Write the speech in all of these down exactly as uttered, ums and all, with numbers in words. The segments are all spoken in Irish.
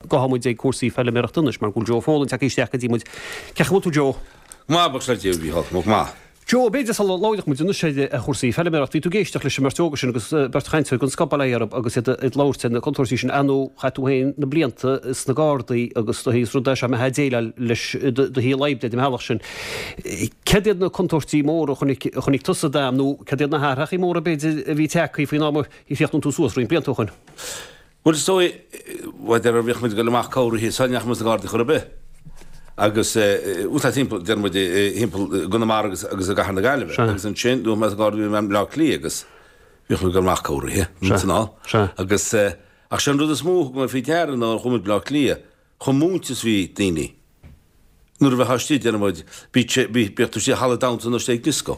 Gabhfaidh muid ag cúrsaí feilméarachta anois mar go bhfuil Joe Folan tagtha isteach go dtí muid. Cén chaoi a bhfuil tú Joe? Go maith, buíochas le Dia, a Mhícheál, go maith. Joe, b'fhéidir sula labhróidh muid anois ar chúrsaí feilméarachta, bhí tú ag éisteacht leis an mbeirt óga sin agus beirt chainteoir den scoth, bail ó Dhia orthu, agus iad ag labhairt ar na contúirtí sin. Ar ndóigh, chaith tú féin na blianta sna Gardaí agus do is rud é seo a mbeifeá ag déileáil leis i do shaol oibre ar an mbealach sin. Céard iad na contúirtí móra a chonaic, a chonaic tusa d'am nó céard iad na hathrachaí móra b'fhéidir a bhí tagtha faoin am a chríochnaigh tú suas roinnt blianta ó shoin? Bhuel, is dóigh, maidir a bhíodh muid ag dul amach corraithe, sula ndeachaigh muid sna Gardaí chor ar bith. Agus, bhuel, tá timpeall, deir muid, timpeall i gConamara agus agus i gCathair na Gaillimhe. Agus ansin, bhí mé sna Gardaí, bhí mé i mBleá Cliath agus bhíodh muid ag dul amach corraithe, san ál. Agus, ach sé an rud is mó a thug mé faoi deara ná nuair a chuaigh muid Bleá Cliath, chomh múinte is bhí daoine. Nuair a bheifeá istigh, deir muid, bíodh tú istigh i halla damhsa nó istigh ag dioscó.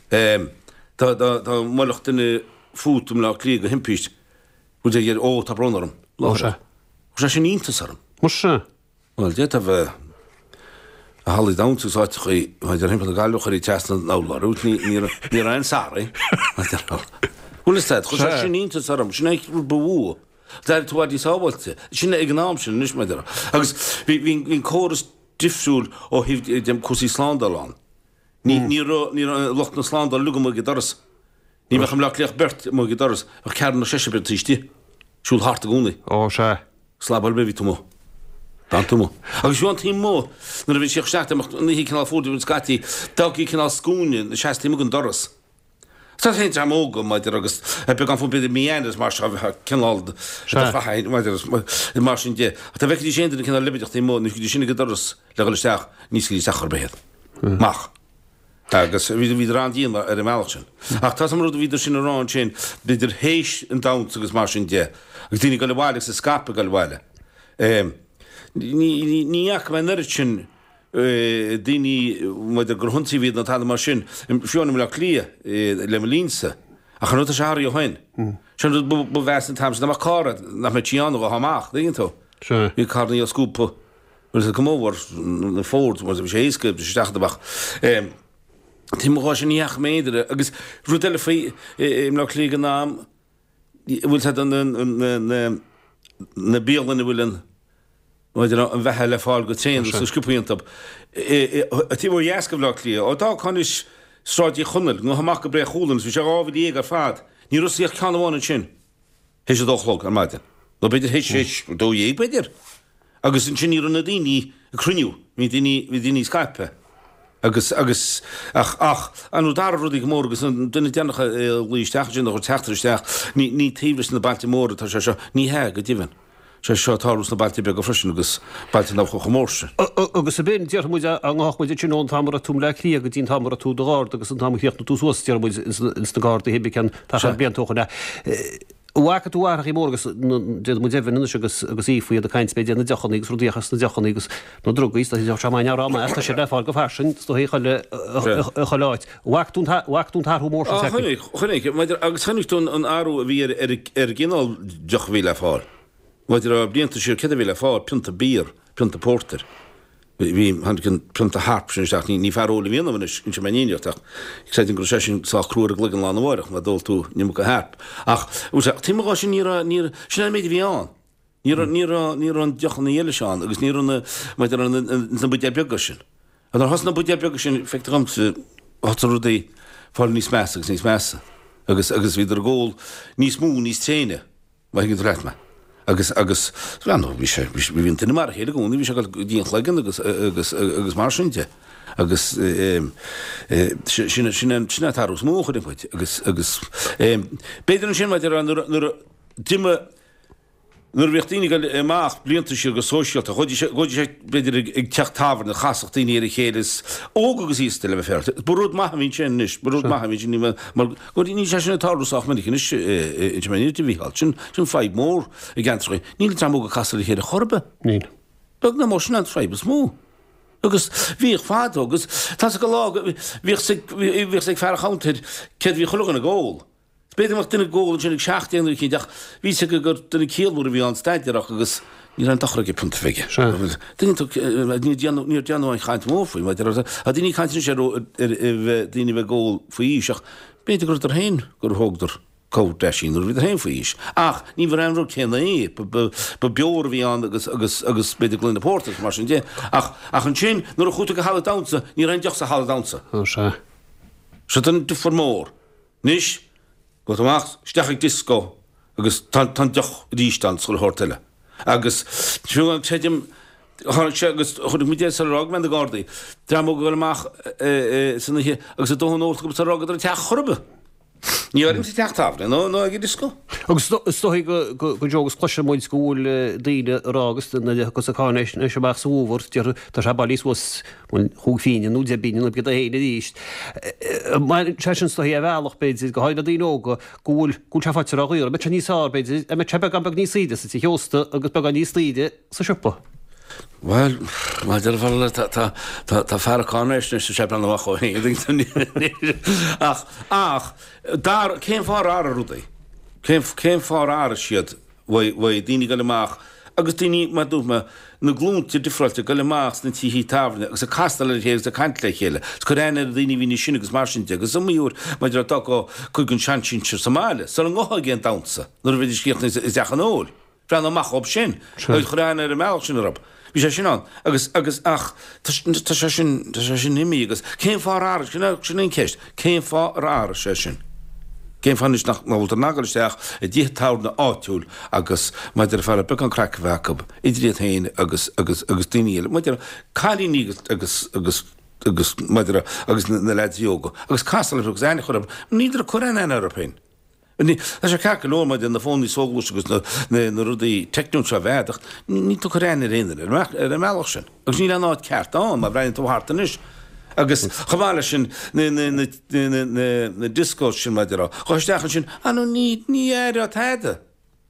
Dá, dá, dá mbuailfeadh duine fút i mBleá Cliath de thimpist, Bhuel, deir, Ó, tá brón orm. Ó, sea. Chuir sé sin iontas orm. Muise. Bhuel, d'fhéadfá bheith i hallaí damhsa agus áiteachaí, maidir thimpeall na Gaillimhe, chuirí trasna na lorg, ní, ní raibh, ní raibh aon sorry. Bhuel, is ea, chuir sé sin iontas orm, sin é an rud ba mhó. D'éirigh tú i bhfad níos sábháilte. Sin ag an am sin anois, maidir. Agus bhí, bhí, bhí an córas difriúil ó thaobh de cúrsaí slándála ann. Ní, ní raibh, ní raibh lucht na slándála uilig amuigh ag an doras. Ní bheadh i mBleá Cliath ach beirt amuigh ag an doras, bheadh ceathrar nó seisear beirt taobh istigh, siúl thart i gcónaí. Ó, sea. Slab ar bith, bhí tú amuigh. D'fhan tú amuigh. Agus fiú an taobh amuigh, nuair a bhí siad isteach, dá mbeadh an oíche cineál fuar, bhí scaití, d'fhágtaí cineál scuaine ina seasamh taobh amuigh den doras. Tá féin dream óga, maidir agus beagán fúm, b'fhéidir mí Eanáir is mar seo, bheadh cineál de chaith, maidir is mar sin de. Ach dá bhfeicfidís aon duine cineál leibideach taobh amuigh, ní thiocfaidís sin ag an doras le dhul isteach, ní thiocfaidís isteach chor ar bith iad. Amach. Agus bhíodar an-dian ar an mbealach sin. Ach tá an rud a bhíodar sin a rá ansin, b'fhéidir théis an damhsa agus mar sin de, agus daoine ag dul abhaile agus ag scaipeadh ag dul abhaile. Ní ní fhaca mé an oiread sin daoine maidir gur hionsaíodh iad nó tada mar sin, fiú i mBaile Átha Cliath le mo linnsa. Ach an rud tá sé athraithe ó shin. Sin an rud ba mheasa an t-am sin, dá mbeadh carr agat nach mbeadh sí ann a ghabh amach, tuigeann tú? Bhí carranna á scuabadh. Bhuel, is cuma mhór na Fords, bhuel, bhí sé éasca, bhí sé isteach amach. Taobh amuigh sin ní fhaca mé aon duine agus rud eile faoi i mBleá Cliath ag an am, bhfuil siad na na na bialanna a bhfuil an maidir an bheatha le fáil go tréan agus go sciobtha iontu. Taobh ó dheas de Bhleá Cliath, ó d'fhágfá anois Sráid Uí Chonaill, nó amach go Bré Chualann, is bhí sé dhá mhíle dhéag ar fad, ní raibh ach ceann amháin ansin théis a dó a chlog ar maidin, nó b'fhéidir théis a dó dhéag b'fhéidir. Agus ansin ní raibh na daoine ag cruinniú, bhí daoine, bhí daoine scaipthe. Agus, agus, ach, ach, an rud dara rudaí go mór agus an duine deireanach a ghlaoigh isteach ansin, a chuir teachtaireacht isteach, ní, ní taobh leis na bailte móra atá sé seo, ní hea, go deimhin. Sé seo ag tarlú sna bailte beaga freisin agus bailte nach bhfuil chomh mór sin. Agus ab in, déarfaidh muid, dá ngabhfadh muid ansin ón t-am a raibh tú i mBleá Cliath go dtí an t-am a raibh tú i do Gharda agus an t-am a chríochnaigh tú suas, déarfaidh muid, ins na Gardaí, thimpeall ceann tacar blianta ó shoin. An bhfaca tú athrachaí móra agus déanfaidh muid Evan anois agus agus Aoife iad ag caint b'fhéidir ar na deochannaí agus rudaí as na deochannaí agus na drugaí is dóigh sé maith rá más tá siad le fáil go fairsing is dóigh chuile chuile áit. An bhfaca tú an bhfaca tú an t-athrú mór sin Á chonaic, chonaic, maidir agus chonaic tú an athrú a bhí ar ar ar an gcineál deoch a bhí le fáil. Maidir le blianta siar céard a bhí le fáil, pionta beer, pionta pórtair. Bhí, tháinig an prionta Harp sin isteach, ní fear óil a bhí ionam anois, inseoidh mé an fhírinne ach creidim go raibh sé sin sách crua ar an gcloigeann lá arna mháireach má d'ól tú an iomarca Harp. Ach, bhuel, sea, taobh amuigh dhe sin ní raibh, ní raibh, sin é an méid a bhí ann. Ní raibh, ní raibh, ní raibh an deochanna eile seo ann agus ní raibh na, maidir le na, na buidéil beaga sin. Nuair a thosaigh na buidéil beaga sin, feictear dhomsa, thosaigh rudaí fáil níos measa agus níos measa agus, agus bhíodar ag ól níos mó, níos tréine. Má thuigeann tú leat mé. Agus, agus, bhuel, bhí sé, bhí sé, bhí an duine mar a chéile i gcónaí, bhí sé ag dul go dtí an chloigeann agus, agus, agus mar sin de. Agus sin, sin, sin an t-athrú is mó a chonaic muid. Agus, agus, b'fhéidir ansin, maidir le nuair, nuair a d'imigh, nuair a bhíodh daoine ag dul amach blianta siar go sóisialta, ghabhaidís, ghabhaidís b'fhéidir ag, ag teach tábhairne, chasfadh daoine ar a chéile, is óg agus aosta le bheith féaráilte. Ba rud maith a bhí ansin anois, ba rud maith a bhí ansin, ní mar, mar go níl sé sin ag tarlú sách minic anois inseoidh mé an fhírinne, a Mhícheáil. Sin, sin fadhb mhór i gceantracha. Níl an dream óg ag casadh le chéile chor ar bith. Níl. Beag ná mór, sin an fadhb is mó. Agus bhíodh fadó, agus tá's agat lá, bhíodh ag, bhíodh ag fear an chuntair céard a bhí chuile dhuine ag ól. B'fhéidir go mbeadh duine ag ól ansin ag seacht déag nó eicínt ach bhí 'fhios aige gur duine ciallmhar a bhí ann staidéarach agus ní raibh aon dochar aige pionta bheith aige. Duine tú níor déanadh níor déanadh aon chaint mhór faoi maidir le tá daoine ag caint anois ar ar bheith daoine a bheith ag ól faoi aois ach b'fhéidir go rabhadar féin gur thógadar Comh-deisín nuair a bhíodar féin faoi aois. Ach ní ba an rud céanna é. Ba beoir a bhí ann agus agus agus b'fhéidir gloine pórtair agus mar sin de. Ach ach ansin nuair a chuaigh tú go halla damhsa ní raibh aon deoch sa halla damhsa. Ó sea. Sin an difear mór. Anois gabh tú amach isteach ag disco agus tá tá an deoch arís ann sa chuile shórt eile. Agus fiú an creidim tháinig sé agus chonaic muid é sular fhág mé na Gardaí. Dream óg ag dul amach san oíche agus a dóthain ólta acu sular fhágadar an teach chor ar bith. Ní áirím sa teach tábhairne nó nó ag an dioscó. Agus is dóigh go go go deo agus cloiseann muid go bhfuil daoine ag rá agus na cosa cáinaisnéis amach sa bhfómhar, déarfainn, tá sé bailithe suas bhuel chúig phingin nó deich bpingin nó céard é féin arís. Mar sé sin is dóigh ar bhealach b'fhéidir, go háirithe le daoine óga, go bhfuil go bhfuil sé faighte ródhaor. An mbeidh sé níos fearr b'fhéidir, an mbeidh sé beagán beag níos saoire sa tigh ósta agus beagán níos daoire sa siopa? Bhuel, mar deir an tá tá tá tá fear cáinaisnéis sa séipéal amach ó shin. Ach ach dar cén fáth ar athraigh rudaí? Cén cén fáth ar athraigh siad uaidh uaidh daoine ag dul amach agus daoine mar dúirt mé na glúnta difreáilte ag dul amach sna tithe tábhairne agus ag castáil ar a chéile agus ag caint le chéile. Is cur aithne ar na daoine a bhí níos sine agus mar sin de agus is iomaí uair maidir le d'fhágfá cuid den seansinsir sa mbaile sula ngabhfá ag aon damhsa nuair a bheidís críochnaithe i dteach an óil. Breathnú amach dhób sin. Agus cur aithne ar an mbealach sin orthu. Bhí sé sin ann. Agus, agus, ach, tá, tá sé sin, tá sé sin imithe agus cén fáth ar athraigh, sin, sin an cheist, cén fáth ar athraigh sé sin? Cén fáth anois nach, nach bhfuiltear in ann dul isteach i dtithe tábhairne áitiúil agus maidir le fear beagán craic a bheith acu idir iad féin agus, agus, agus daoine eile, maidir le cailíní agus, agus, agus, agus maidir le, agus na, na leaids óga agus castáil orthu agus aithne a chur orthu. Níltear ag cur aon aithne orthu féin. Tá sé ceart go leor maidir na fónaí soghluaiste agus na rudaí teicniúil seo a bheith ach níl tú ag cur aithne ar aon duine ar an mbealach sin. Agus níl aon áit ceart ann má bhreathnaíonn tú thart anois. Agus chomh maith leis sin na discos sin maidir a dhul isteach ansin, ah no ní ní aireofá tada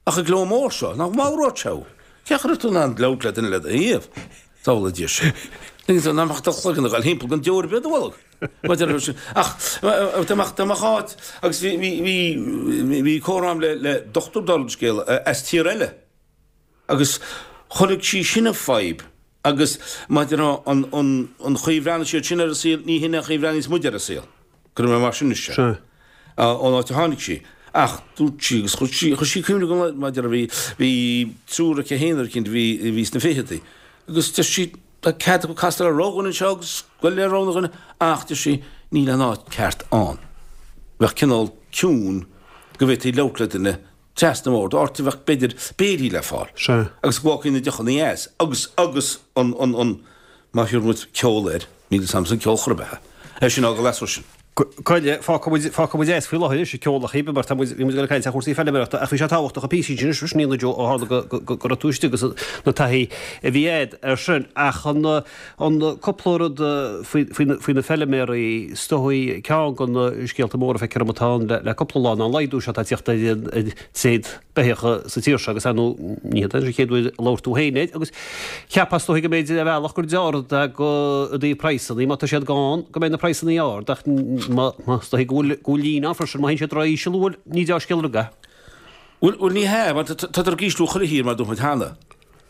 ach an gleo mór seo, nach mallródh sé thú? Cén chaoi a raibh tú in ann labhairt le duine le do thaobh? Sábhála Dia sinn. Nach mbeadh do chloigeann ag dul thimpeall gan deoir ar bith i do bholg. Maidir leis sin. Ach dá mbeadh dá mbeadh áit agus bhí bhí bhí bhí comhrá agam le le dochtúir dála an scéil as tír eile agus chonaic sí sin an fadhb agus maidir le an an an chaoi a bhreathnaigh siad sin ar an saol ní hin an chaoi a bhreathnaíos muid ar an saol. Cuirfidh mé mar sin anois é. Sea. Ón áit a tháinig sí. Ach dúirt sí agus chuir sí chuir sí cuimhne agam maidir le bhí bhí triúr aici féin ar cinnte bhí bhí sna ficheadaí agus deir sí Tá cead acu castáil ar rogha dhuine anseo agus goil le rogha dhuine ach, deir sí, níl aon áit ceart ann. Bheadh cineál ciúin go bhféadfaí labhairt le duine trasna an bhoird, áit a bheadh, b'fhéidir, béilí le fáil. Sea. Agus go bhfágfaí na deochanna as agus, agus an, an, an, má thiúrfaidh muid ceol air, níl fhios a'msa an ceol chor ar bith é. É sin a fhágáil as freisin. Coille, fágfaidh muid, fágfaidh muid as faoi láthair anois an ceol a chíbe mar tá muid, bhí muid ag dul ag caint ar chúrsaí feilméarachta ach bhí sé tábhachtach an píosa sin anois, a Joe, ó tharla go, go, go, go raibh tú istigh agus na taithí a bhí a'd ar sin. Ach an, an cúpla rud faoi, faoi na, faoi na feilméaraí, is dóigh ceann de na scéalta móra feictear dom atá ann le, le cúpla lá ná an laghdú seo atá ag teacht ar an, ar tréad beithíocha sa tír seo agus ar ndóigh ní hé an chéad uair a labhair tú féin air agus cheapfá is dóigh go mb'fhéidir ar bhealach gur dea-rud é go i dtaobh praghsanna, má tá siad gann go mbeidh na praghsanna ard ach má is dóigh go bhfuil go bhfuil líne ann freisin má théann siad ró-íseal bhuel ní dea-scéal rud é. Bhuel, bhuel ní hea, mar tádar ag ísliú chuile thír mar dúirt muid cheana.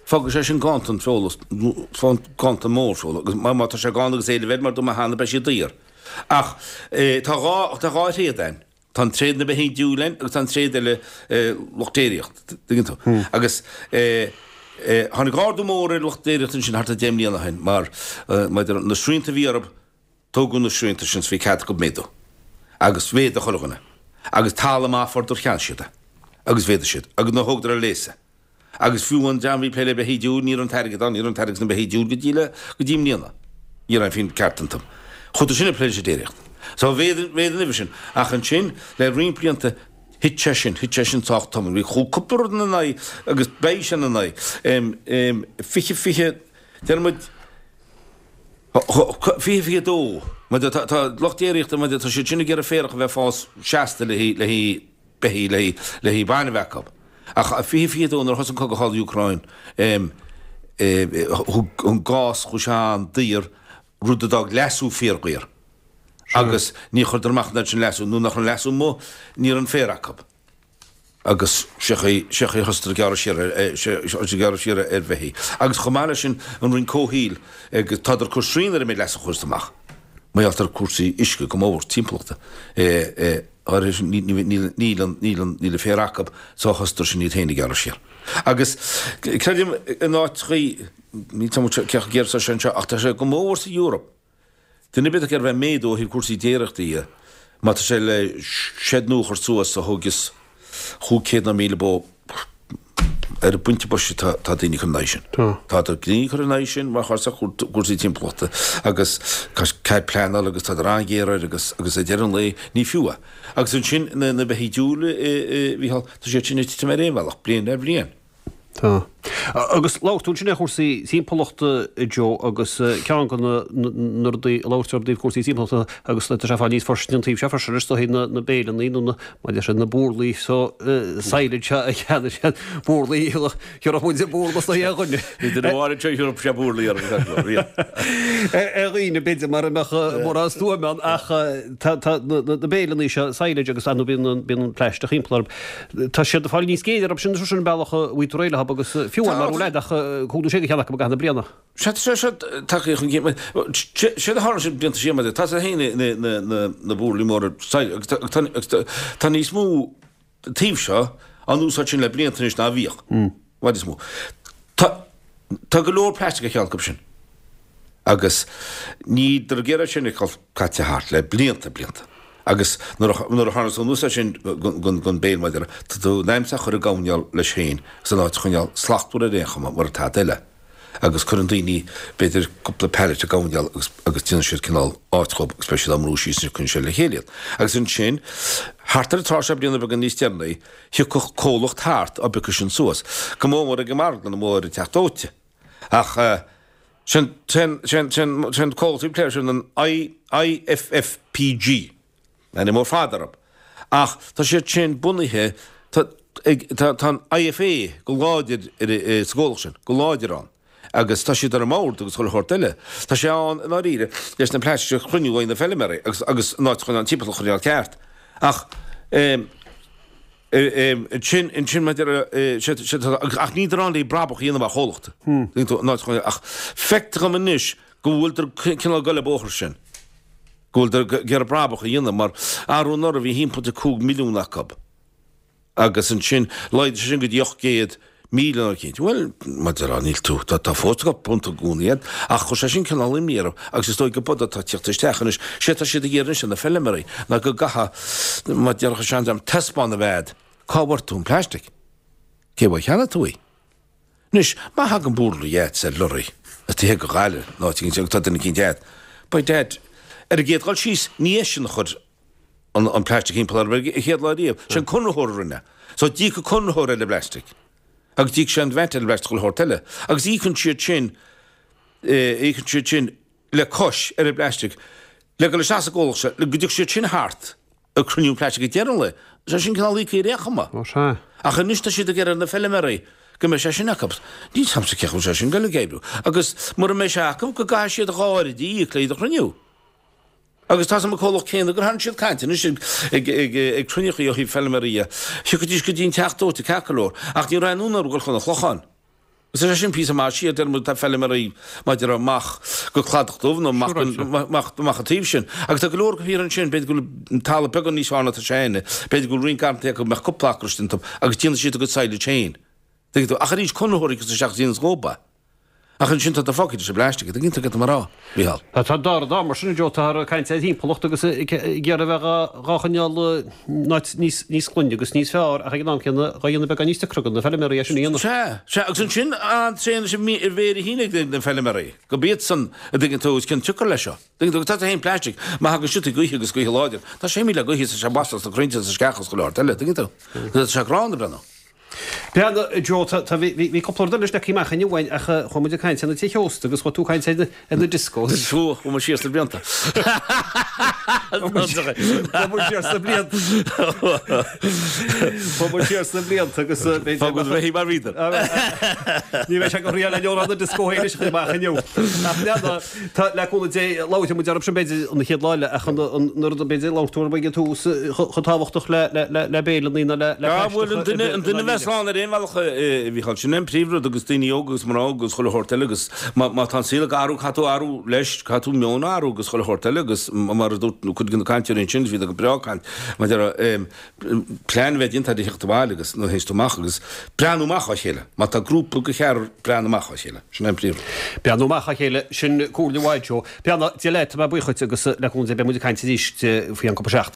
Fágfaidh sé sin ganntan feola, ganntan mór feola, agus má tá sé gann agus éileamh air mar dúirt mé cheana beidh sé daor. Ach tá dhá, tá dhá thréad ann. Tá an tréad na beithígh diúil ann agus tá an tréad eile lucht déiríochta, tuigeann tú. Agus tháinig ardú mór ar lucht déiríochta ansin thart ar deich mbliana ó shin mar maidir na srianta a bhí orthu, tógadh na srianta sin is bhí cead acu méadú. Agus mhéadaigh chuile dhuine. Agus talamh maith a fuaireadar cheannaigh siad é. Agus mhéadaigh siad. Agus nuair a thógadar ar léas é. Agus fiú an dream a bhí ag plé le beithígh diúil, ní raibh an t-airgead ann, ní raibh an t-airgead sna beithígh diúil go dtí le, go dtí i mbliana. Ní raibh aon phingin ceart iontu. Chuadar sin ag plé leis an déiríocht. So mhéadaigh, mhéadaigh an uimhir sin. Ach ansin, le roinnt blianta, thit sé sin, thit sé sin sách tobann. Bhí, chuaigh cúpla rud ina n-aghaidh agus beidh sé ina n-aghaidh. Em, em, fiche, fiche, déarfaidh muid, fiche, fiche dó, mar tá, tá lucht déiríochta, mar tá siad sin ag iarraidh féarach a bheith ag fás seasta le haghaidh, le haghaidh beithígh, le haghaidh, le haghaidh bainne a bheith acu. Ach fiche fiche dó nuair a thosaigh an cogadh thall Úcráin, thug an gás chuaigh sé an-daor, rud a d'fhág leasú fíordhaor. Agus ní chuireadar amach an oiread sin leasú, nuair nach raibh an leasú amuigh, ní raibh an féar acu. Agus sé chaoi, sé chaoi a thosaíodar ag gearradh siar ar, ag gearradh siar ar bheithígh. Agus chomh maith leis sin, an Roinn Comhshaoil, agus tádar ag cur srian ar an méid leasú a chuireas amach. Mar gheall ar cúrsaí uisce go mór timpeallachta. Níl níl an féar acu so thosaíodar sin iad féin a ghearradh siar. Agus creidim in áiteachaí, níl 'fhios a'm cé chomh géar is atá sé anseo ach tá sé go mór sa Eoraip. Duine ar bith ag iarraidh bheith méadú ó thaobh cúrsaí déiríochta dhe, má tá sé le seid nua a chur suas a thógfas chúig chéad nó míle bó, ar an bpointe boise tá daoine ag cur in aghaidh sin. Tá daoine ag cur in aghaidh sin mar chúrsa cúrsaí timpeallachta agus cead pleanála agus tádar an-ghéar air agus agus ag deireadh an lae ní fiú é. Agus ansin na na beithígh diúil a Mhícheáil, tá siad sin ag titim ar aon bhealach, bliain ar bhliain. Tá. Agus labhair tú ansin ar chúrsaí timpeallachta, a Joe, agus ceann de na rudaí a labhair tú i dtaobh cúrsaí timpeallachta agus tá sé ag fáil níos fairsine an taobh seo freisin is dóigh na na béileanna nó na mar deir siad na burlaí so silage seo a cheannaigh siad burlaí thiúrfadh muid burla is dóigh ar dhuine. Bhí duine amháin anseo a thiúrfadh sé burlaí orm ar dhaoine b'fhéidir mura mbeadh mórán stuaim ann ach tá tá na béileanna seo silage agus ar ndóigh bíonn bíonn an plaisteach thimpeall orthu. Tá siad ag fáil níos géire orthu sin sin an bealach a bhfuil tú réidh leo agus fiú amháin mar leid ach cúig nó sé de cheann acu i gcaitheamh na bliana. Sea, tá sé seo tagtha chun cinn. Séard a tharla sin blianta siar, maidir, tá sé féin na burlaí móra agus tá níos mó taobh seo á n-úsáid sin le blianta anois ná a bhíodh. I bhfad níos mó. Tá go leor plaisteach ar cheann acu sin agus níltear ag iarraidh sin a fheiceáil caite thart le blianta, blianta. Agus nuair a nuair a tharla tú anuas air sin gon béil maidir tá tú in ainm 's a chur ag gabháil leis féin agus an áit a choinneáil slachtmhar ar aon chuma mura tada eile. Agus cuireann daoine b'fhéidir cúpla pallet ag gabháil agus agus déanann siad cineál áit dhób agus beidh siad á mbrú síos ansin cuireann siad le chéile iad. Agus ansin thart ar an tráth seo bliana beaga níos deireanaí thiocfadh comhlacht thart á bpiocadh sin suas. Go mór mór ag an marglann amuigh ar an teach dóite. Ach sin sin sin sin sin comhlacht a bhí ag plé sin an I IFFPG. Ainm mór fada orthu. Ach tá siad sin bunaithe, tá tá tá an I F A go láidir ar sa gcomhlacht sin, go láidir ann. Agus tá siad ar an mbord agus chuile shórt eile. Tá sé ann i ndáiríre leis na plaistigh a chruinniú ó na feilméaraí agus agus an áit chun an timpeallacht a choinneáil ceart. Ach ansin ansin maidir ach níltear ann le brabach a dhéanamh mar chomhlacht. An áit chun ach feictear dom anois go bhfuiltear cineál ag goil an bóthar sin. Go bhfuiltear ag iarraidh brabach a dhéanamh mar arú anuraidh bhí haon pointe cúig milliún acu agus ansin laghdaigh sé sin go dtí ocht gcéad míle nó eicínt. Bhuel, mar a déarfá, níl tú, tá, tá fós go punt i gcónaí agat ach chuir sé sin cineál imní orthu agus is dóigh go b'fhéidir atá ag tíocht isteach anois. Sé atá siad ag iarraidh anois ar na feilméaraí ná go gcaithfidh, mar a déarfadh an seandream, taispeáin a bheith agat cá bhfuair tú an plastic, cé uaidh a cheannaigh tú í. Anois, má thagann burla agat ar lorry, as taobh thiar de Ghaillimh, nó áit éigin agus tá duine eicínt agat, by dad, ar an gcéad dhul síos, ní eisean a chuir an an plastic thimpeall orthu ar an chéad lá riamh, sé an conraitheoir a rinne. So d'íoc an conraitheoir ar an bplastic. Agus d'íoc sé an VAT ar an bplastic chuile shórt eile. Agus íocann siad sin, íocann siad sin le cois ar an bplastic le dhul isteach sa gcomhlacht seo, le go dtiocfaidh siad sin thart. ag cruinniú an phlaistic ag deireadh an lae. Tá sé sin cineál íoctha ar aon chuma. Ó sea. Ach anois tá siad ag iarraidh ar na feilméaraí go mbeidh sé sin acu. Níl 's a'msa cé chaoi bhfuil sé sin ag goil ag oibriú. Agus mura mbeidh sé acu go gcaithfidh siad dhá oiread a íoc le iad a chruinniú. Agus tá 's a'm an comhlacht céanna gur tharraing siad caint anois ag ag ag ag cruinneachaí ó thaobh feilméaraí dhe. Thiocfaidís go dtí an teach dóite ceart go leor. Ach ní raibh aon fhonn orthu dul chun an Chlocháin. Is é sin píosa maith siar, deir muid tá feilméaraí maidir amach go Cladach Dubh nó amach amach amach an taobh sin. Agus tá go leor acu thiar ansin, b'fhéidir go bhfuil talamh beagán níos fearr ná tá sé againne, b'fhéidir go bhfuil roinnt garrantaí acu go mbeadh cúpla acra istigh iontu agus déanann siad a gcuid silage féin. Tuigeann tú? Ach arís, conraitheoirí agus isteach is déanann dhób é. Ach ansin tá tú fágtha leis an bplaisteach, tuigeann tú cad tá mé a rá, Mícheál? Tá an dara dá mar sin, Joe, táthar ag caint ar thimpeallacht agus ag iarraidh a bheith dhá choinneáil in áit níos glaine agus níos fearr ach ag an am céanna dhá dhéanamh beagán níos deacra do na feilméaraí é sin a dhéanamh. Sea, sea, agus ansin an-tréan leis an mhéir féin ag na feilméaraí, gurb iadsan, a dtuigeann tú, is cionn tsiocair leis seo. Tuigeann tú, agus tá féin plastic, má thagann siotaí gaoithe agus gaoithe láidir, tá sé míle gaoithe is tá sé basach sna crainnte is sna sceacha is chuile shórt eile, tuigeann tú. Tá sé gránna breathnú. Breathnaigh, Joe, tá, tá, bhí, bhí cúpla rud eile leagtha amach inniu uainn ach chuaigh muid ag caint ar na tithe ósta agus chuaigh tú ag caint ar na, ar na discos. Chuaigh, chuaigh muid siar sna blianta. Chuaigh muid siar, chuaigh muid siar sna blianta. Chuaigh muid siar sna blianta agus b'fhéidir. Fág muid bheith mar bhíodar. Ní bheidh sé go riail le leabhrán na disco féin anois a chur amach inniu. Ach breathnaigh, tá, le cúnamh Dé, labhróidh muid orthu sin b'fhéidir an chéad lá eile ach an, an, an rud b'fhéidir labhair tú ag an tús chomh tábhachtach le, le, le, le béile nó le, le Ah, bhuel, an duine, an duine a bheas sé slán ar aon bhealach a Mhícheáil. Sin é an príomhrud agus daoine óga agus mná agus chuile shórt eile agus má tá an saol ag athrú caithfidh tú athrú leis, caithfidh tú meon a athrú agus chuile shórt eile agus mar a dúirt cuid de na cainteoirí ansin, bhí go breá ag caint maidir le plean a bheith déanta ar theacht abhaile agus nuair a théanns tú amach agus breathnú amach á chéile. Má tá grúpa de cheathrar breathnú amach á chéile. Sin é an príomhrud. Breathnú amach á chéile, sin comhairle mhaith Joe. Beannacht Dé leat, tá mé buíoch dhuit agus le cúnamh Dé beidh muid ag caint arís faoi cheann cúpla seachtain.